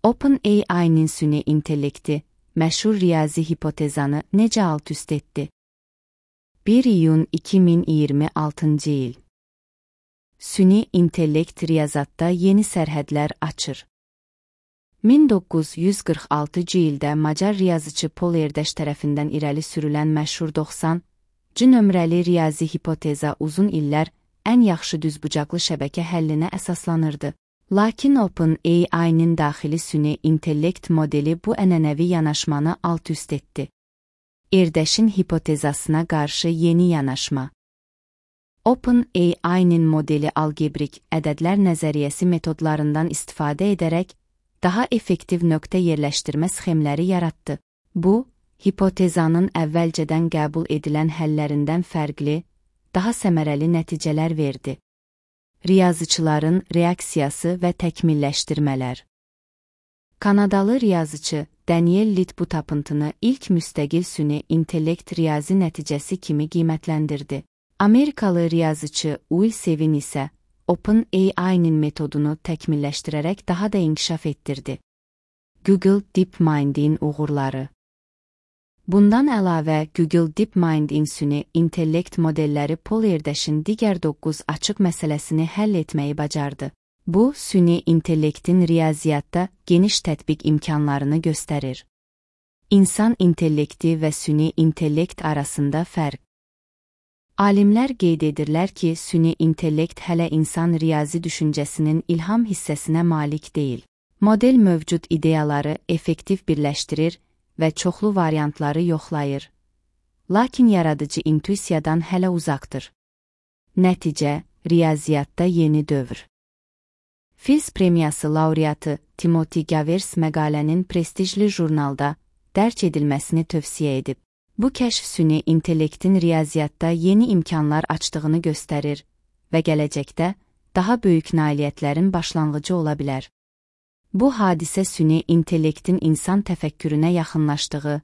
OpenAI'nin süni intellekti, məşhur riyazi hipotezanı necə alt-üst etdi? 1 iyun 2026 il. Süni intellekt riyazatda yeni sərhədlər açır. 1946 ildə Macar riyaziçi Paul Erdős tərəfindən irəli sürülən məşhur 90 nömrəli riyazi hipoteza uzun illər ən yaxşı düzbucaqlı şəbəkə həllinə əsaslanırdı. Lakin OpenAI'nin daxili süni intellekt modeli bu ənənəvi yanaşmanı alt-üst etdi. Erdős'ün hipotezasına qarşı yeni yanaşma. OpenAI'nin modeli algebrik ədədlər nəzəriyyəsi metodlarından istifadə edərək daha effektiv nöqtə yerləşdirmə sxemləri yaratdı. Bu, hipotezanın əvvəlcədən qəbul edilən həllərindən fərqli, daha səmərəli nəticələr verdi. Riyaziçilərin reaksiyası və təkmilləşdirmələr. Kanadalı riyaziçi Daniel Litt bu tapıntını ilk müstəqil süni intellekt riyazi nəticəsi kimi qiymətləndirdi. Amerikalı riyaziçi Will Sevin isə OpenAI'nin metodunu təkmilləşdirərək daha da inkişaf etdirdi. Google DeepMind'in uğurları. Bundan əlavə, Google DeepMind'in süni intellekt modelləri Paul Erdős'ün digər 9 açıq məsələsini həll etməyi bacardı. Bu, süni intellektin riyaziyyatda geniş tətbiq imkanlarını göstərir. İnsan intellekti və süni intellekt arasında fərq. Alimlər qeyd edirlər ki, süni intellekt hələ insan riyazi düşüncəsinin ilham hissəsinə malik deyil. Model mövcud ideyaları effektiv birləşdirir və çoxlu variantları yoxlayır. Lakin yaradıcı intuisiyadan hələ uzaqdır. Nəticə, riyaziyyatda yeni dövr. Fields premiyası laureatı Timothy Gavers məqalənin prestijli jurnalda dərc edilməsini tövsiyə edib. Bu kəşf süni intellektin riyaziyyatda yeni imkanlar açdığını göstərir və gələcəkdə daha böyük nailiyyətlərin başlanğıcı ola bilər. Bu hadisə süni intellektin insan təfəkkürünə yaxınlaşdığı,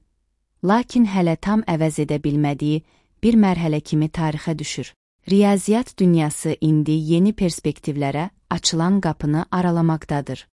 lakin hələ tam əvəz edə bilmədiyi bir mərhələ kimi tarixə düşür. Riyaziyyat dünyası indi yeni perspektivlərə açılan qapını aralamaqdadır.